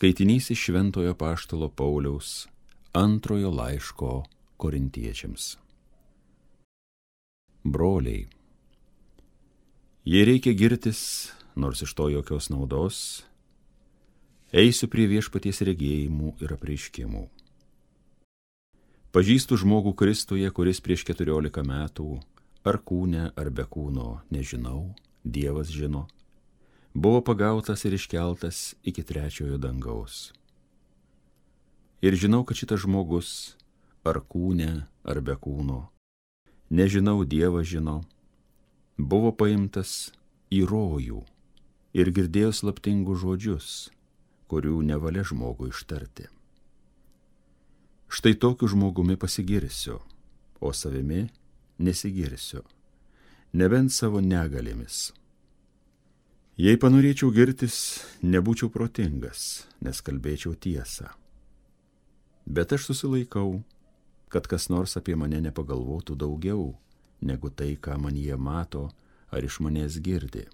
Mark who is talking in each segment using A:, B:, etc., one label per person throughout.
A: Skaitinys iš Šventojo Apaštalo Pauliaus antrojo laiško Korintiečiams. Broliai, jei reikia girtis, nors iš to jokios naudos, eisiu prie viešpaties regėjimų ir apreiškimų. Pažįstu žmogų Kristuje, kuris prieš 14 metų, ar kūne, ar be kūno, nežinau, Dievas žino, buvo pagautas ir iškeltas iki 3 dangaus. Ir žinau, kad šitas žmogus, ar kūne, ar be kūno, nežinau, Dievas žino, buvo paimtas į rojų ir girdėjo slaptingus žodžius, kurių nevalia žmogui ištarti. Štai tokiu žmogumi pasigirsiu, o savimi nesigirsiu, nebent savo negalėmis. Jei panorėčiau girtis, nebūčiau protingas, nes kalbėčiau tiesą. Bet aš susilaikau, kad kas nors apie mane nepagalvotų daugiau, negu tai, ką man jie mato ar iš manęs girdi.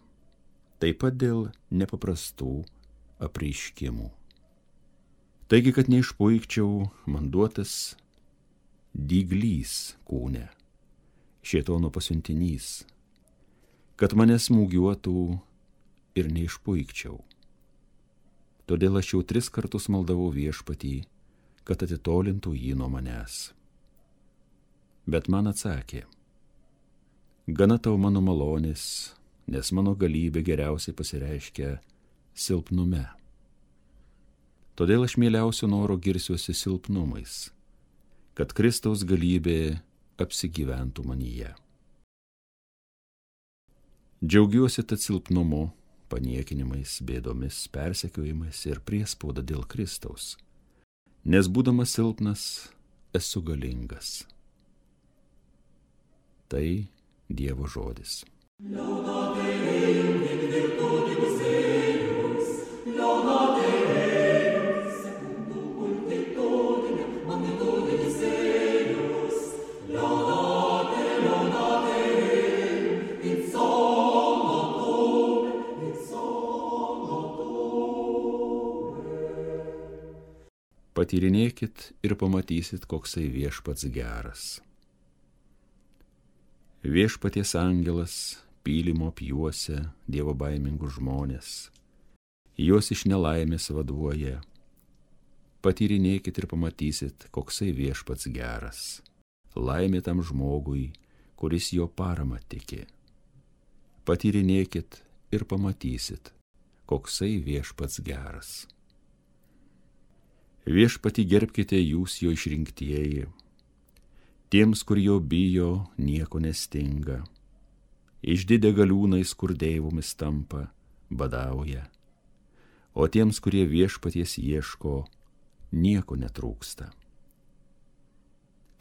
A: Taip pat dėl nepaprastų apreiškimų. Taigi, kad neišpuikčiau, man duotas dyglys kūne, šėtono pasiuntinys, kad mane smūgiuotų ir neišpuikčiau. Todėl aš jau 3 kartus maldavau viešpatį, kad atitolintų jį nuo manęs. Bet man atsakė: gana tau mano malonės, nes mano galybė geriausiai pasireiškia silpnume. Todėl aš mieliausiu noro girsiuosi silpnumais, kad Kristaus galybė apsigyventų manyje. Džiaugiuosi tad silpnumu, paniekinimais, bėdomis, persekiojimais ir priespauda dėl Kristaus, nes būdamas silpnas esu galingas. Tai Dievo žodis. Patyrinėkit ir pamatysit, koksai viešpats geras. Viešpaties angelas pylimo apjuosia dievobaimingus žmonės, juos iš nelaimės vaduoja. Patyrinėkit ir pamatysit, koksai viešpats geras. Laimė tam žmogui, kuris jo paramą tiki. Patyrinėkit ir pamatysit, koksai viešpats geras. Viešpatį gerbkite jūs jo išrinktieji. Tiems, kur jo bijo, nieko nestinga. Išdidę galiūnais, kur deivomis tampa, badauja. O tiems, kurie viešpaties ieško, nieko netrūksta.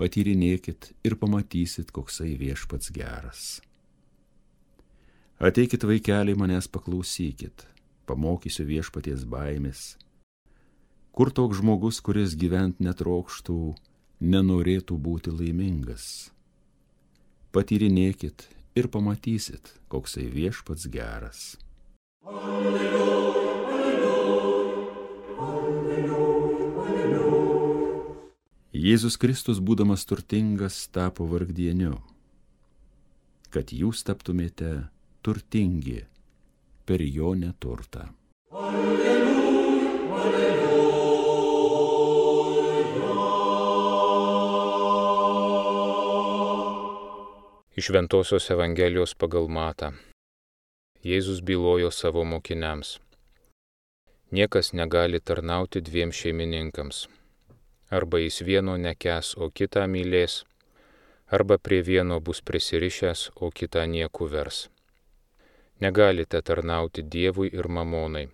A: Patyrinėkit ir pamatysit, koksai viešpats geras. Ateikit, vaikeliai, manęs paklausykit, pamokysiu viešpaties baimės. Kur toks žmogus, kuris gyvent netrokštų, nenorėtų būti laimingas? Patyrinėkit ir pamatysit, koksai viešpats geras. Alleluja, alleluja, alleluja, alleluja. Jėzus Kristus, būdamas turtingas, tapo vargdieniu, kad jūs taptumėte turtingi per jo neturtą. Alleluja, alleluja.
B: Iš Šventosios Evangelijos pagal Matą. Jėzus bylojo savo mokiniams: niekas negali tarnauti 2 šeimininkams. Arba jis vieno nekęs, o kitą mylės, arba prie vieno bus prisirišęs, o kitą nieku vers. Negalite tarnauti Dievui ir mamonai.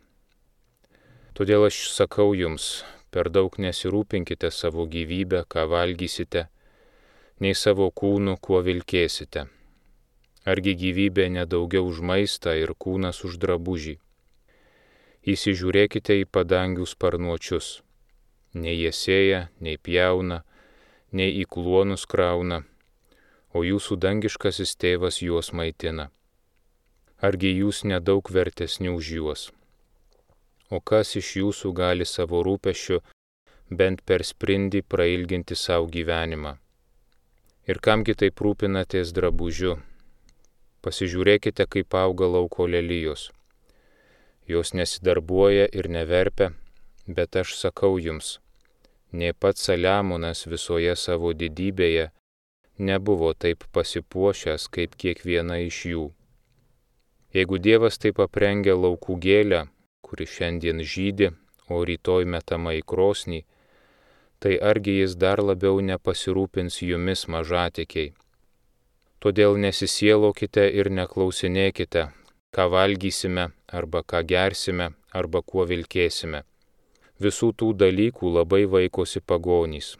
B: Todėl aš sakau jums, per daug nesirūpinkite savo gyvybę, ką valgysite, nei savo kūnu, kuo vilkėsite. Argi gyvybė nedaugiau už maistą ir kūnas už drabužį? Įsižiūrėkite į padangių sparnuočius. Nei jie sėja, nei pjauna, nei į kluonus krauna, o jūsų dangiškasis tėvas juos maitina. Argi jūs nedaug vertesni už juos? o kas iš jūsų gali savo rūpesčiu bent per sprindį prailginti savo gyvenimą? Ir kamgi taip rūpinatės drabužiu? Pasižiūrėkite, kaip auga lauko lelijos. Jos nesidarbuoja ir neverpia, bet aš sakau jums, nė pats Saliamonas visoje savo didybėje nebuvo taip pasipuošęs kaip kiekviena iš jų. Jeigu Dievas taip aprengia laukų gėlę, kuri šiandien žydi, o rytoj metama į krosnį, tai argi jis dar labiau nepasirūpins jumis mažatikiai. Todėl nesisielokite ir neklausinėkite, ką valgysime, arba ką gersime, arba kuo vilkėsime. Visų tų dalykų labai vaikosi pagonys.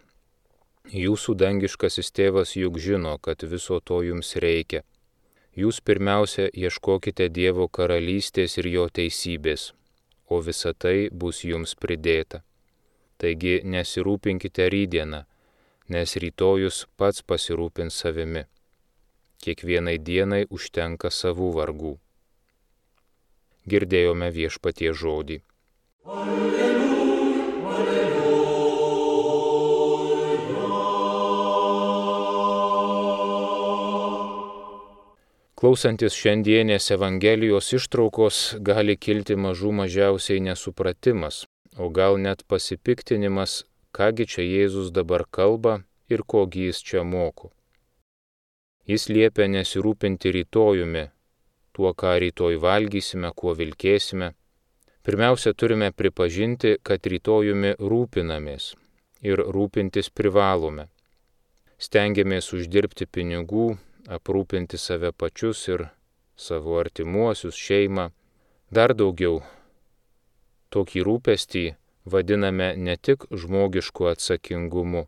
B: Jūsų dangiškasis tėvas juk žino, kad viso to jums reikia. Jūs pirmiausia ieškokite Dievo karalystės ir jo teisybės, o visa tai bus jums pridėta. Taigi nesirūpinkite rytdieną, nes rytojus pats pasirūpins savimi. Kiekvienai dienai užtenka savų vargų. Girdėjome Viešpaties žodį.
C: Alleluja, alleluja.
B: Klausantis šiandienės Evangelijos ištraukos gali kilti mažų mažiausiai nesupratimas, o gal net pasipiktinimas, kągi čia Jėzus dabar kalba ir kogi jis čia moko. Jis liepia nesirūpinti rytojumi, tuo, ką rytoj valgysime, kuo vilkėsime. Pirmiausia, turime pripažinti, kad rytojumi rūpinamės ir rūpintis privalome. Stengiamės uždirbti pinigų, aprūpinti save pačius ir savo artimuosius, šeimą. Dar daugiau, tokį rūpestį vadiname ne tik žmogišku atsakingumu,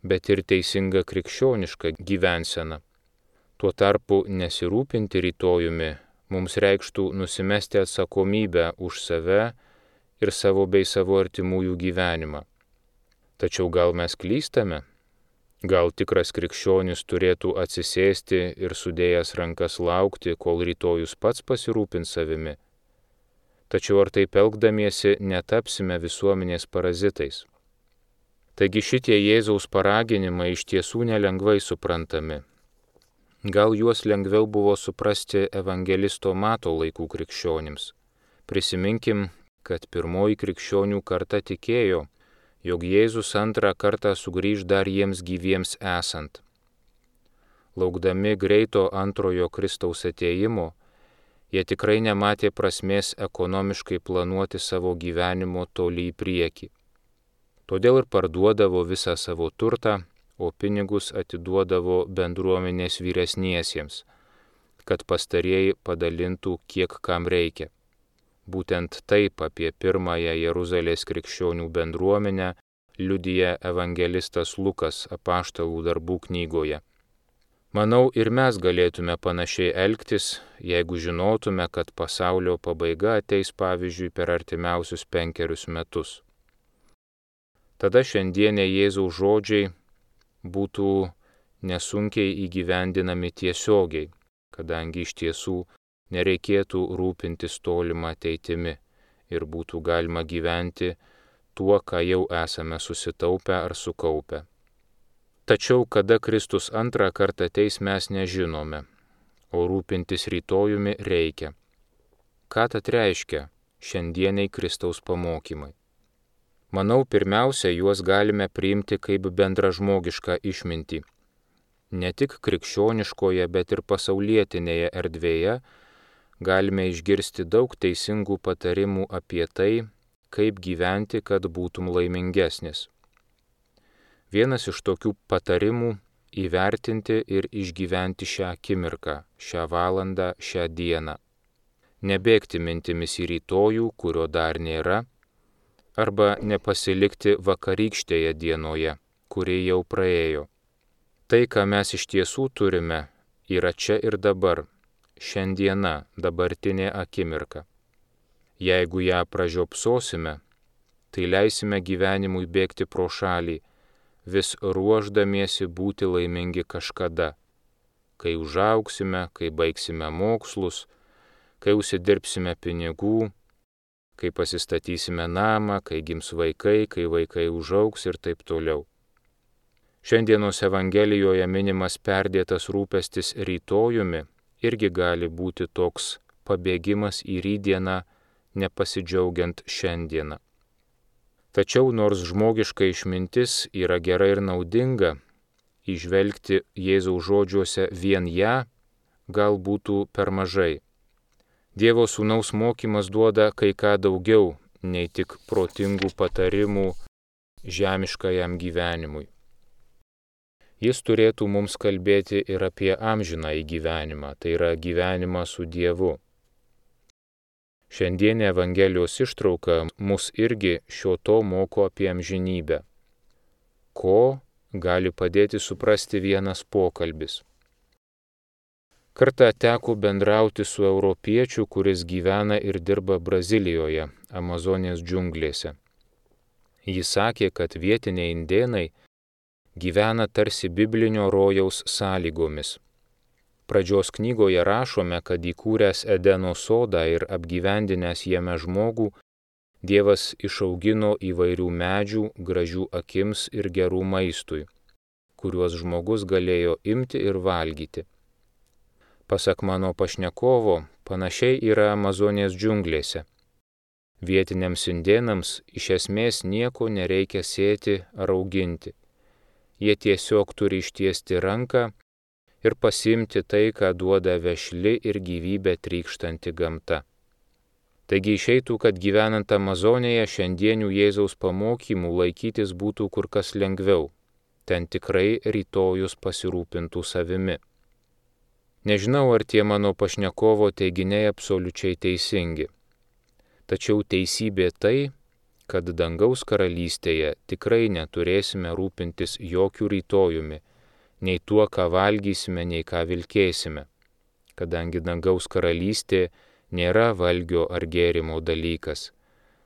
B: bet ir teisinga krikščioniška gyvensena. Tuo tarpu nesirūpinti rytojumi mums reikštų nusimesti atsakomybę už save ir savo bei savo artimųjų gyvenimą. Tačiau gal mes klystame? Gal tikras krikščionis turėtų atsisėsti ir sudėjęs rankas laukti, kol rytojus pats pasirūpins savimi? Tačiau ar taip elgdamiesi netapsime visuomenės parazitais? Taigi šitie Jėzaus paraginimai iš tiesų nelengvai suprantami. Gal juos lengviau buvo suprasti evangelisto Mato laikų krikščionims. Prisiminkim, kad pirmoji krikščionių karta tikėjo, jog Jėzus antrą kartą sugrįž dar jiems gyviems esant. Laukdami greito antrojo Kristaus atėjimo, jie tikrai nematė prasmės ekonomiškai planuoti savo gyvenimo toli į priekį. Todėl ir parduodavo visą savo turtą, o pinigus atiduodavo bendruomenės vyresniesiems, kad pastarieji padalintų kiek kam reikia. Būtent taip apie pirmąją Jeruzalės krikščionių bendruomenę liudija evangelistas Lukas Apaštalų darbų knygoje. Manau, ir mes galėtume panašiai elgtis, jeigu žinotume, kad pasaulio pabaiga ateis pavyzdžiui per artimiausius 5 metus. Tada šiandienė Jėzaus žodžiai būtų nesunkiai įgyvendinami tiesiogiai, kadangi iš tiesų nereikėtų rūpintis tolimą ateitimi ir būtų galima gyventi tuo, ką jau esame susitaupę ar sukaupę. Tačiau kada Kristus antrą kartą ateis, mes nežinome, o rūpintis rytojumi reikia. Ką tad reiškia šiandieniai Kristaus pamokymai? Manau, pirmiausia, juos galime priimti kaip bendražmogišką išmintį. Ne tik krikščioniškoje, bet ir pasaulietinėje erdvėje galime išgirsti daug teisingų patarimų apie tai, kaip gyventi, kad būtum laimingesnis. Vienas iš tokių patarimų – įvertinti ir išgyventi šią akimirką, šią valandą, šią dieną. Nebėgti mintimis į rytojų, kurio dar nėra, arba nepasilikti vakarykštėje dienoje, kuri jau praėjo. Tai, ką mes iš tiesų turime, yra čia ir dabar, šiandiena, dabartinė akimirka. Jeigu ją pražiopsosime, tai leisime gyvenimui bėgti pro šalį, vis ruošdamiesi būti laimingi kažkada, kai užaugsime, kai baigsime mokslus, kai užsidirbsime pinigų, kai pasistatysime namą, kai gims vaikai, kai vaikai užaugs ir taip toliau. Šiandienos Evangelijoje minimas perdėtas rūpestis rytojumi irgi gali būti toks pabėgimas į rytdieną, nepasidžiaugiant šiandieną. Tačiau nors žmogiška išmintis yra gera ir naudinga, įžvelgti Jėzaus žodžiuose vien ją gal būtų per mažai. Dievo Sūnaus mokymas duoda kai ką daugiau, nei tik protingų patarimų žemiškajam gyvenimui. Jis turėtų mums kalbėti ir apie amžinąjį gyvenimą, tai yra gyvenimą su Dievu. Šiandienė Evangelijos ištrauka mus irgi šio to moko apie amžinybę. Ko gali padėti suprasti vienas pokalbis. Kartą teko bendrauti su europiečiu, kuris gyvena ir dirba Brazilijoje, Amazonės džiunglėse. Jis sakė, kad vietiniai indėnai gyvena tarsi biblinio rojaus sąlygomis. Pradžios knygoje rašome, kad įkūręs Edeno sodą ir apgyvendinęs jame žmogų, Dievas išaugino įvairių medžių, gražių akims ir gerų maistui, kuriuos žmogus galėjo imti ir valgyti. Pasak mano pašnekovo, panašiai yra Amazonės džiunglėse. Vietiniams indėnams iš esmės nieko nereikia sėti ar auginti. Jie tiesiog turi ištiesti ranką ir pasiimti tai, ką duoda vešli ir gyvybę trykštanti gamta. Taigi išeitų, kad gyvenant Amazonėje šiandienių Jėzaus pamokymų laikytis būtų kur kas lengviau. Ten tikrai rytojus pasirūpintų savimi. Nežinau, ar tie mano pašnekovo teiginiai absoliučiai teisingi. Tačiau teisybė tai, kad dangaus karalystėje tikrai neturėsime rūpintis jokių rytojumi, nei tuo, ką valgysime, nei ką vilkėsime, kadangi dangaus karalystė nėra valgio ar gėrimo dalykas,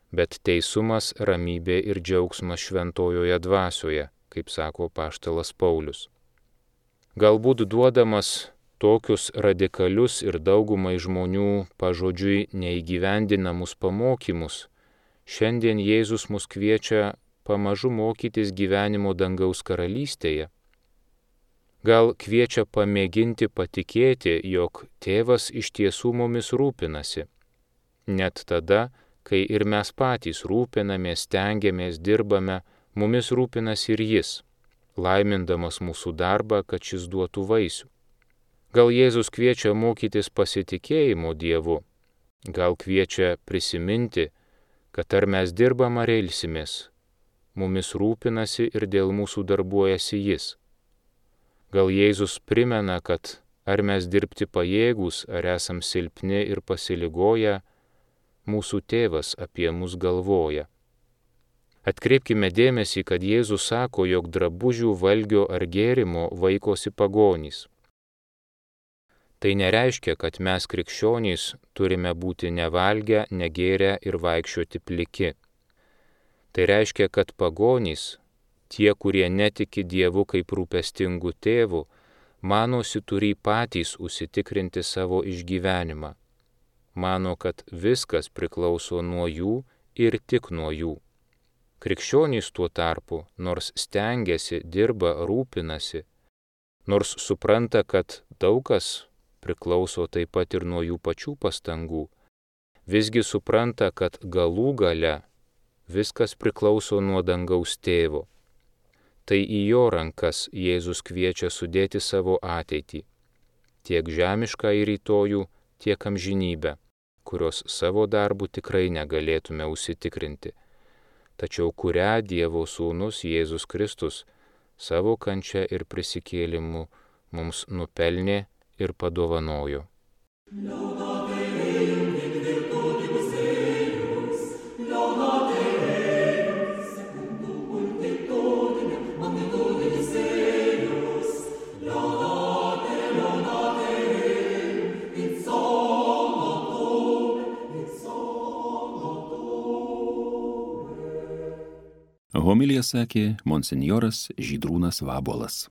B: bet teisumas, ramybė ir džiaugsmas šventojoje dvasioje, kaip sako apaštalas Paulius. Galbūt duodamas tokius radikalius ir daugumai žmonių pažodžiui neįgyvendinamus pamokymus, šiandien Jėzus mus kviečia pamažu mokytis gyvenimo dangaus karalystėje. Gal kviečia pamėginti patikėti, jog Tėvas iš tiesų mumis rūpinasi. Net tada, kai ir mes patys rūpinamės, stengiamės, dirbame, mumis rūpinasi ir Jis, laimindamas mūsų darbą, kad šis duotų vaisių. Gal Jėzus kviečia mokytis pasitikėjimo Dievu, gal kviečia prisiminti, kad ar mes dirbam ar ilsimės, mumis rūpinasi ir dėl mūsų darbuojasi Jis. Gal Jėzus primena, kad ar mes dirbti pajėgūs, ar esam silpni ir pasiligoję, mūsų Tėvas apie mus galvoja. Atkreipkime dėmesį, kad Jėzus sako, jog drabužių, valgio ar gėrimo vaikosi pagonys. Tai nereiškia, kad mes krikščionys turime būti nevalgę, negėrę ir vaikščioti pliki. Tai reiškia, kad pagonys, tie, kurie netiki Dievu kaip rūpestingu tėvu, manosi turį patys užsitikrinti savo išgyvenimą. Mano, kad viskas priklauso nuo jų ir tik nuo jų. Krikščionys tuo tarpu, nors stengiasi, dirba, rūpinasi, nors supranta, kad daug kas priklauso taip pat ir nuo jų pačių pastangų, visgi supranta, kad galų gale viskas priklauso nuo dangaus tėvo. Tai į jo rankas Jėzus kviečia sudėti savo ateitį, tiek žemišką į rytojų, tiek amžinybę, kurios savo darbų tikrai negalėtume užsitikrinti, tačiau kurią Dievo Sūnus Jėzus Kristus savo kančia ir prisikėlimu mums nupelnė ir padovanojo.
A: Homiliją sakė monsinjoras Žydrūnas Vabuolas.